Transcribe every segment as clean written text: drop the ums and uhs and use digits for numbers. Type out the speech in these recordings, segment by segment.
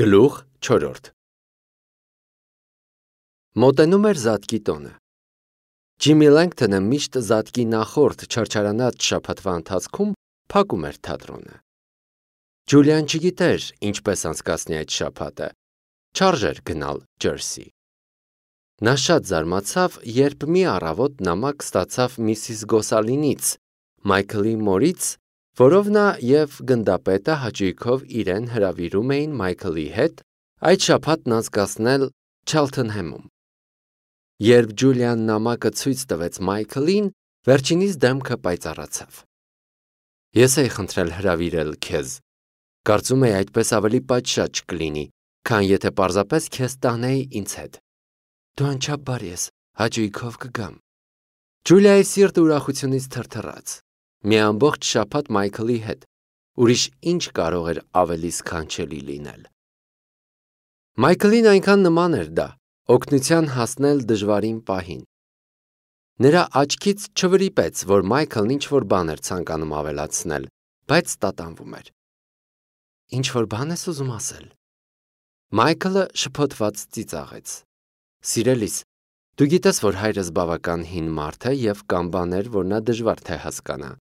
Գլուխ 4 Մոտենում էր Զատկի տոնը։ Ջիմի Լենգթոնը միշտ Զատկի նախորդ չարչարանած շաբաթվա ընթացքում փակում էր թատրոնը։ Ջուլիան չգիտեր ինչպես անցկացնի այդ շաբաթը, չարժեր գնալ Ջերսի։ Նա շատ զարմացավ, երբ մի առավոտ նամակ ստացավ Միսիս Գոսալինից, Մայքլի մորից, որով նա և գնդապետը հաճույքով իրեն հրավիրում էին Մայքլի հետ այդ շաբաթն անցկացնել Չելթենհեմում։ Երբ Ջուլիան նամակը ցույց տվեց Մայքլին, վերջինիս դեմքը պայծառացավ։ Ես էի խնդրել հրավիրել քեզ։ Կարծում էի այդպես ավելի պատշաճ կլինի, քան եթե պարզապես քեզ տանեի ինձ հետ։ Դու անչափ ես, հաճույքով կգամ։ Ջուլիայի սիրտը ուրախությունից թրթռաց։ Մի ամբողջ շաբաթ Մայքլի հետ, ուրիշ ինչ կարող էր ավելի սքանչելի լինել։ Մայքլին այնքան նման էր դա, օգնության հասնել դժվարին պահին։ Նրա աչքից չվրիպեց, որ Մայքլն ինչ-որ բան էր ցանկանում ավելացնել, բայց տատանվում էր։ Ինչ-որ բան ես ուզում ասել։ Մայքլը շփոթված ծիծաղեց։ Սիրելիս, դու գիտես, որ հայրս բավական հին մարդ է և կան բաներ, որ նա դժվար թե հասկանա։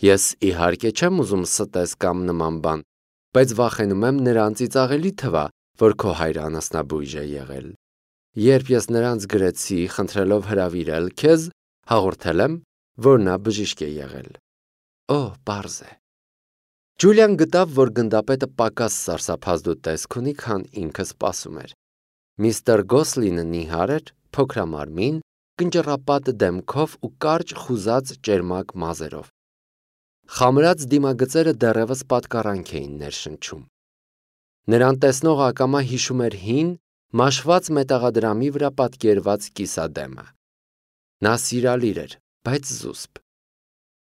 Ես իհարկե չեմ ուզում ստես կամ նման բան, բայց վախենում եմ նրան ծիծաղելի թվա, որ քո հայրը անասնաբույժ է եղել։ Երբ ես նրանց գրեցի, խնդրելով հրավիրել քեզ, հաղորդել եմ, որ նա բժիշկ է եղել։ Օ, պարզ է։ Ջուլիան գտավ, որ գնդապետը պակաս սարսափազդու տեսք ունի, քան ինքը սպասում էր։ Միստր Գոսլինը նիհար էր, փոքրամարմին, կնճռապատ դեմքով ու կարճ խուզած ճերմակ մազերով։ Խամրած դիմագծերը դեռևս պատկառանք էին ներշնչում։ Նրան տեսնողը ակամա հիշում էր հին, մաշված մետաղադրամի վրա պատկերված կիսադեմը։ Նա սիրալիր էր, բայց զուսպ։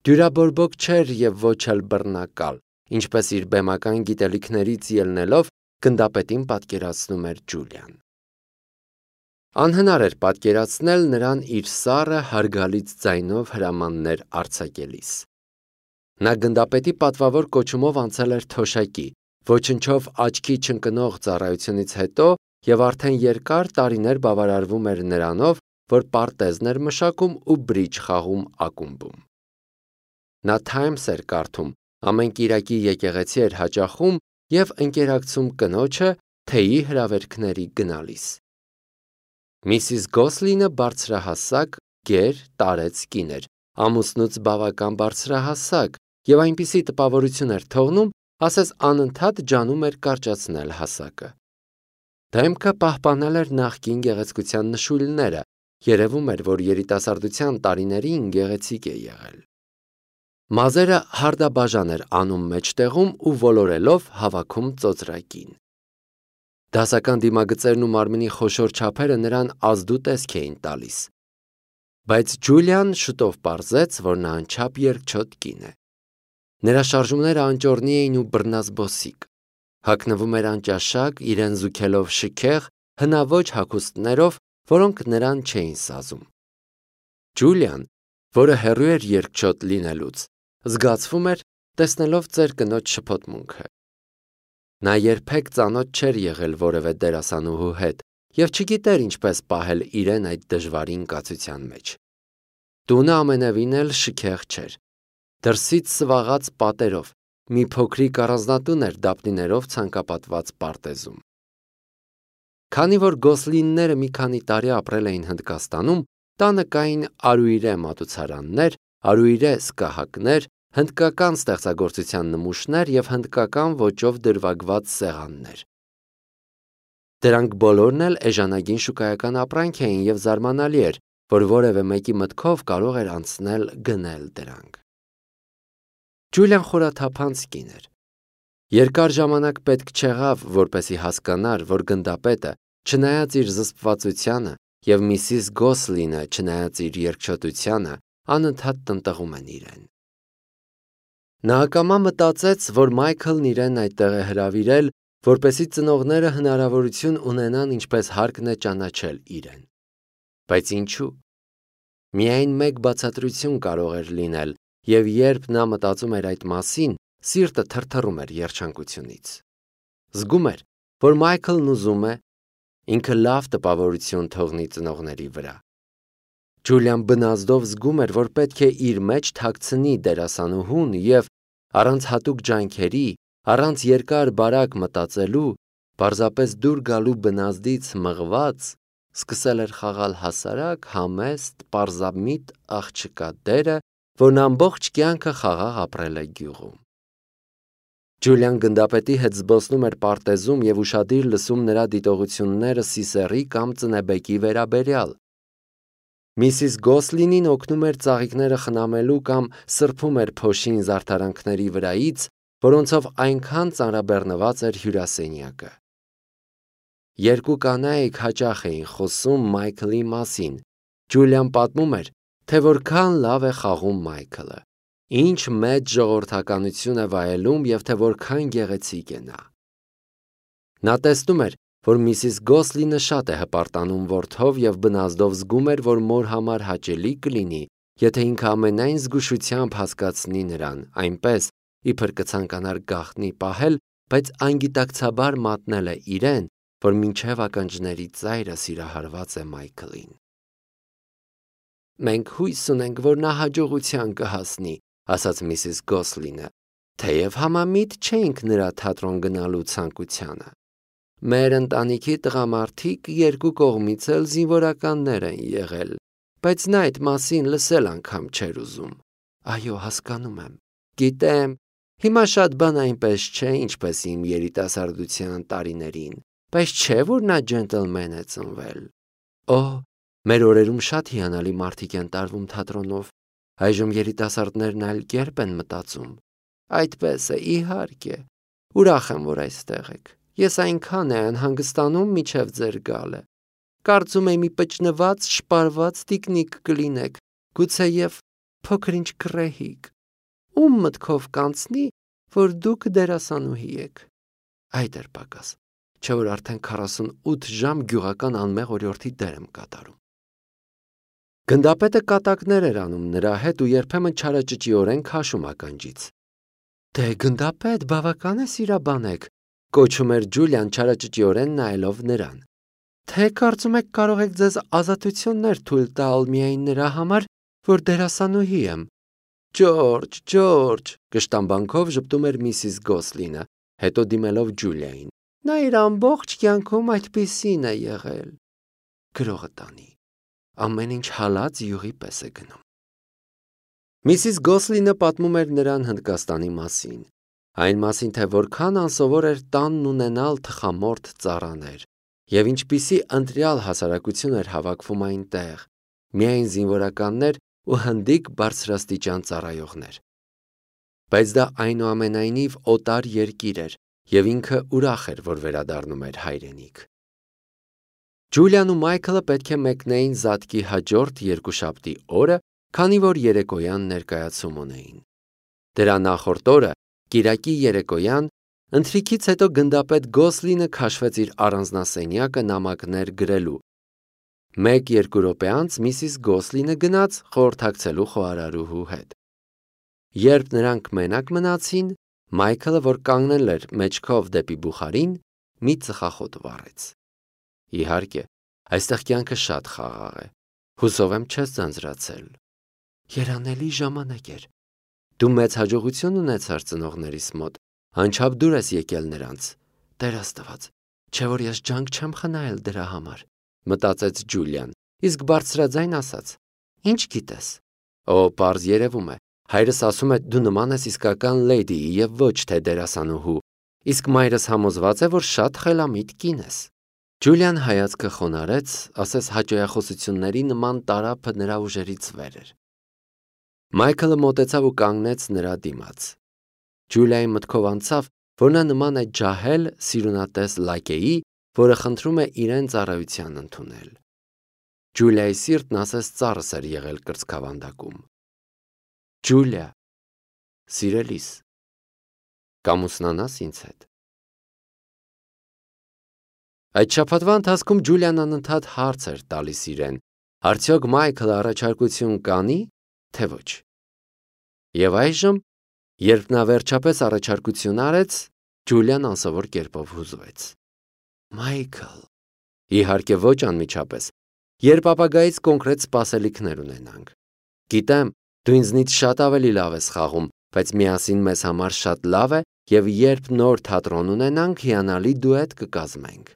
Դյուրաբորբոք չէր և ոչ էլ բռնակալ, ինչպես իր բեմական գիտելիքներից ելնելով գնդապետին պատկերացնում էր Ջուլիան։ Անհնար էր պատկերացնել նրան իր սառը հարգալից ձայնով հրամաններ արձակելիս։ Նա գնդապետի պատվավոր կոչումով անցել էր թոշակի, ոչնչով աչքի չընկնող ծառայությունից հետո և արդեն երկար տարիներ բավարարվում էր նրանով, որ պարտեզն էր մշակում ու բրիջ խաղում ակումբում։ Նա Times էր կարդում, ամեն կիրակի եկեղեցի էր հաճախում և ընկերակցում կնոջը թեյի հրավերքների գնալիս։ Միսիս Գոսլինը բարձրահասակ, գեր, տարեց կին էր, ամուսնուց բավական բարձրահասակ և այնպիսի տպավորություն էր թողնում, ասես անընդհատ ջանում էր կարճացնել հասակը։ Դեմքը պահպանել էր նախկին գեղեցկության նշույլները, երևում էր, որ երիտասարդության տարիներին գեղեցիկ է եղել։ Մազերը հարդաբաժան էր անում մեջտեղում ու ոլորելով հավաքում ծոծրակին։ Դասական դիմագծերն ու մարմնի խոշոր չափերը նրան ազդու տեսք էին տալիս։ Բայց Ջուլիան շուտով պարզեց, որ նա անչափ երկչոտ կին է։ Նրա շարժումները անճոռնի էին ու բռնազբոսիկ։ Հագնվում էր անճաշակ, իրեն զուգելով շքեղ, հնաոճ հագուստներով, որոնք նրան չէին սազում։ Ջուլիան, որը հեռու էր երկչոտ լինելուց, զգացվում էր, տեսնելով ծեր կնոջ շփոթմունքը։ Նա երբեք ծանոթ չէր եղել որևէ դերասանուհու հետ և չգիտեր ինչպես պահել իրեն այդ դժվարին կացության մեջ։ Տունը ամենևին էլ շքեղ չէր։ Դրսից սվաղած պատերով, մի փոքրիկ առանձնատուն էր դափնիներով ցանկապատված պարտեզում։ Քանի որ Գոսլինները մի քանի տարի ապրել էին Հնդկաստանում, տանը կային արուիրե մատուցարաններ, արուիրե սկահակներ, հնդկական ստեղծագործության նմուշներ և հնդկական ոճով դրվագված սեղաններ։ Դրանք բոլորն էլ էժանագին շուկայական ապրանք էին և զարմանալի էր, որ որևէ մեկի մտքով կարող էր անցնել գնել դրանք։ Ջուլիան խորաթափանց կին էր։ Երկար ժամանակ պետք չեղավ, որպեսզի հասկանար, որ գնդապետը, չնայած իր զսպվածությանը, և Միսիս Գոսլինը, չնայած իր երկչոտությանը, անընդհատ տնտղում են իրեն։ Նա ակամա մտածեց, որ Մայքլն իրեն այդտեղ է հրավիրել, որպեսզի ծնողները հնարավորություն ունենան ինչպես հարկն է ճանաչել իրեն։ Բայց ինչու։ Միայն մեկ բացատրություն կարող էր լինել, և երբ նա մտածում էր այդ մասին, սիրտը թրթռում էր երջանկությունից։ Զգում էր, որ Մայքլն ուզում է ինքը լավ տպավորություն թողնի ծնողների վրա։ Ջուլիան բնազդով զգում էր, որ պետք է իր մեջ թաքցնի դերասանուհուն և առանց հատուկ ջանքերի, առանց երկար-բարակ մտածելու, պարզապես դուր գալու բնազդից մղված, սկսել էր խաղալ հասարակ, համեստ, պարզամիտ աղջկա դերը, որն ամբողջ կյանքը խաղաղ ապրել է գյուղում։ Ջուլիան գնդապետի հետ զբոսնում էր պարտեզում և ուշադիր լսում նրա դիտողությունները Սիսեռի կամ Ծնեբեկի վերաբերյալ։ Միսիս Գոսլինին օգնում էր ծաղիկները խնամելու կամ սրբում էր փոշին զարդարանքների վրայից, որոնցով այնքան ծանրաբեռնված էր հյուրասենյակը։ Երկու կանայք հաճախ էին խոսում Մայքլի մասին։ Ջուլիան պատմում էր, թե որքան լավ է խաղում Մայքլը, ինչ մեծ ժողովրդականություն է վայելում և թե որքան գեղեցիկ է նա։ Նա տեսնում էր, որ Միսիս Գոսլինը շատ է հպարտանում որդով և բնազդով զգում էր, որ մոր համար հաճելի կլինի, եթե ինքը ամենայն զգուշությամբ հասկացնի նրան, այնպես, իբր կցանկանար գաղտնի պահել, բայց անգիտակցաբար մատնել է իրեն, որ մինչև ականջների ծայրը սիրահարված է Մայքլին։ «Մենք հույս ունենք, որ նա հաջողության կհասնի», ասաց Միսիս Գոսլինը, թեև համամիտ չէինք նրա թատրոն գնալու ցանկությանը։ Մեր ընտանիքի տղամարդիկ երկու կողմից էլ զինվորականներ են եղել, բայց նա այդ մասին լսել անգամ չէր ուզում։ Այո, հասկանում եմ, գիտեմ, հիմա շատ բան այնպես չէ, ինչպես իմ երիտասարդության տարիներին, բայց չէ, որ նա ջենտլմեն է ծնվել։ Օհ, մեր օրերում շատ հիանալի մարդիկ են տարվում թատրոնով, այժմ երիտասարդներն այլ կերպ են մտածում։ Այդպես է, իհարկե, ուրախ եմ, որ այստեղ եք։ Ես այնքան է անհանգստանում միջև ձեր գալը։ Կարծում եմ մի պճնված, շպարված տիկնիկ կլինեք, գուցեև փոքր-ինչ գռեհիկ։ Ում մտքով կանցնի, որ դուք դերասանուհի եք։ Այդ էր պակաս, չէ՞ որ արդեն 48 ժամ գյուղական անմեղ օրիորդի դեր եմ կատարում։ Գնդապետը կատակներ էր անում նրա հետ ու երբեմն չարաճճիորեն քաշում ականջից։ Դե գնդապետ, բավական է սիրաբան եք, կոչում էր Ջուլիան չարաճճիորեն նայելով նրան։ Թե կարծում եք կարող եք ձեզ ազատություններ թույլ տալ միայն նրա համար, որ դերասանուհի եմ։ Ջորջ, Ջորջ, կշտամբանքով ժպտում էր Միսիս Գոսլինը, հետո դիմելով Ջուլիային։ Նա իր ամբողջ կյանքում այդպիսին է եղել։ Գրողը տանի։ Ամեն ինչ հալած յուղի պես է գնում։ Միսիս Գոսլինը պատմում էր նրան Հնդկաստանի մասին, այն մասին, թե որքան անսովոր էր տանն ունենալ թխամորթ ծառաներ, և ինչպիսի ընտրյալ հասարակություն էր հավաքվում այնտեղ, միայն զինվորականներ ու հնդիկ բարձրաստիճան ծառայողներ։ Բայց դա այնուամենայնիվ օտար երկիր էր, և ինքը ուրախ էր, որ վերադառնում էր հայրենիք։ Ջուլիան ու Մայքլը պետք է մեկնեին զատկի հաջորդ երկուշաբթի օրը, քանի որ երեկոյան ներկայացում ունեին։ Դրա նախորդ օրը, կիրակի երեկոյան, ընթրիքից հետո գնդապետ Գոսլինը քաշվեց իր առանձնասենյակը նամակներ գրելու։ 1-2 րոպե անց Միսիս Գոսլինը գնաց խորհրդակցելու խոհարարուհու հետ։ Երբ նրանք մենակ մնացին, Մայքլը, որ կանգնել էր մեջքով դեպի բուխարին, մի ծխախոտ վառեց։ Իհարկե, այստեղ կյանքը շատ խաղաղ է։ Հուսով եմ չես ձանձրացել։ Երանելի ժամանակ էր։ Դու մեծ հաջողություն ունեցար ծնողներիս մոտ, անչափ դուր ես եկել նրանց։ Տեր Աստված, չէ՞ որ ես ջանք չեմ խնայել դրա համար, մտածեց Ջուլիան, իսկ բարձրաձայն ասաց. Ինչ գիտես։ Օ, պարզ երևում է, հայրս ասում է դու նման ես իսկական լեյդիի և ոչ թե դերասանուհու, իսկ մայրս համոզված է, որ շատ խելամիտ կին ես։ Ջուլիան հայացքը խոնարհեց, ասես հաճոյախոսությունների նման տարափը նրա ուժերից վեր էր։ Մայքլը մոտեցավ ու կանգնեց նրա դիմաց։ Ջուլիայի մտքով անցավ, որ նա նման է ջահել սիրունատես լակեի, որը խնդրում է իրեն ծառայության ընդունել։ Ջուլիայի սիրտն ասես ծառս էր եղել կրծքավանդակում։ Ջուլիա, սիրելիս, կամուսնանաս ինձ հետ։ Այդ շաբաթվա ընթացքում Ջուլիան անընդհատ հարց էր տալիս իրեն. արդյոք Մայքլը առաջարկություն կանի, թե ոչ։ Եվ այժմ, երբ նա վերջապես առաջարկություն արեց, Ջուլիան անսովոր կերպով հուզվեց։ Մայքլ։ Իհարկե ոչ անմիջապես, երբ ապագայից կոնկրետ սպասելիքներ ունենանք։ Գիտեմ, դու ինձնից շատ ավելի լավ ես խաղում, բայց միասին մեզ համար շատ լավ է, եւ երբ նոր թատրոն ունենանք, հիանալի դուետ կկազմենք։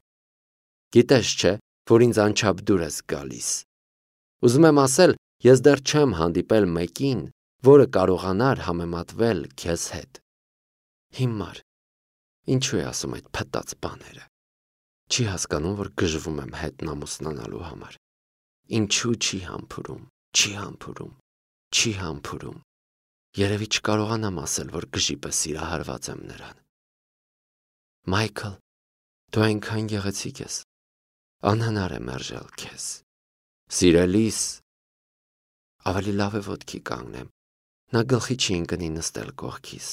Գիտես չէ, որ ինձ անչափ դուր ես գալիս։ Ուզում եմ ասել, ես դեռ չեմ հանդիպել մեկին, որը կարողանար համեմատվել քեզ հետ։ Հիմար, ինչու է ասում այդ փտած բաները։ Չի հասկանում, որ գժվում եմ հետն ամուսնանալու համար։ Ինչու չի համբուրում, չի համբուրում, չի համբուրում։ Երևի չկարողանամ ասել, որ գժի պես սիրահարված եմ նրան։ Մայքլ, դու այնքան գեղեցիկ ես։ Անհնար է մերժել քեզ։ Սիրելիս, ավելի լավ է ոտքի կանգնեմ։ Նա գլխի չի ընկնի նստել կողքիս։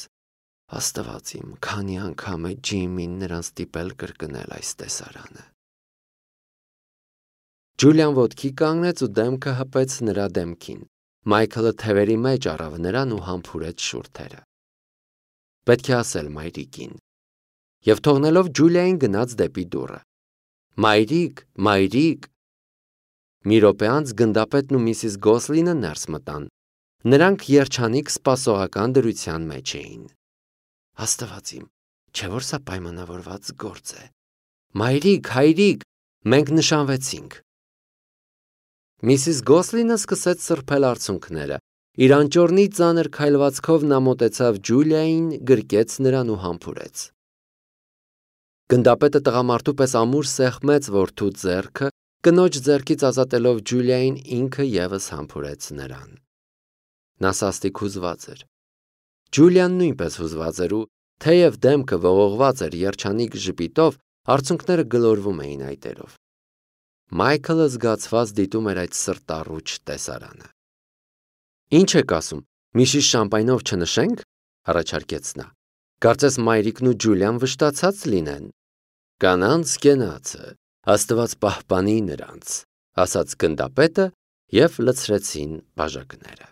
Աստված իմ, քանի անգամ է Ջիմին նրան ստիպել կրկնել այս տեսարանը։ Ջուլիան ոտքի կանգնեց ու դեմքը հպեց նրա դեմքին։ Մայքլը թևերի մեջ առավ նրան ու համբուրեց շուրթերը։ Պետք է ասել մայրիկին։ Եվ թողնելով Ջուլիային գնաց դեպի դուռը։ Մայրիկ, մայրիկ։ Մի րոպե անց գնդապետն ու միսիս Գոսլինը ներս մտան։ Նրանք երջանիկ սպասողական դրության մեջ էին։ Աստված իմ, չէ՞ որ սա պայմանավորված գործ է։ Մայրիկ, հայրիկ, մենք նշանվեցինք։ Միսիս Գոսլինը սկսեց սրբել արցունքները։ Իր անճոռնի ծանր քայլվածքով նա մոտեցավ Ջուլիային, գրկեց նրան ու համբուրեց։ Գնդապետը տղամարդու պես ամուր սեղմեց որդու ձեռքը, կնոջ ձեռքից ազատելով Ջուլիային ինքը ևս համբուրեց նրան։ Նա սաստիկ հուզված էր։ Ջուլիան նույնպես հուզված էր ու, թեև դեմքը ողողված էր երջանիկ ժպիտով, արցունքները գլորվում էին այտերով։ Մայքլը զգացված դիտում էր այդ սրտառուչ տեսարանը։ Ինչ եք ասում, մի շիշ շամպայնով չնշենք, առաջարկեց նա։ Կարծես մայրիկն ու Ջուլիան վշտացած լինեն։ Կանանց կենացը, Աստված պահպանի նրանց, ասաց գնդապետը և լցրեցին բաժակները։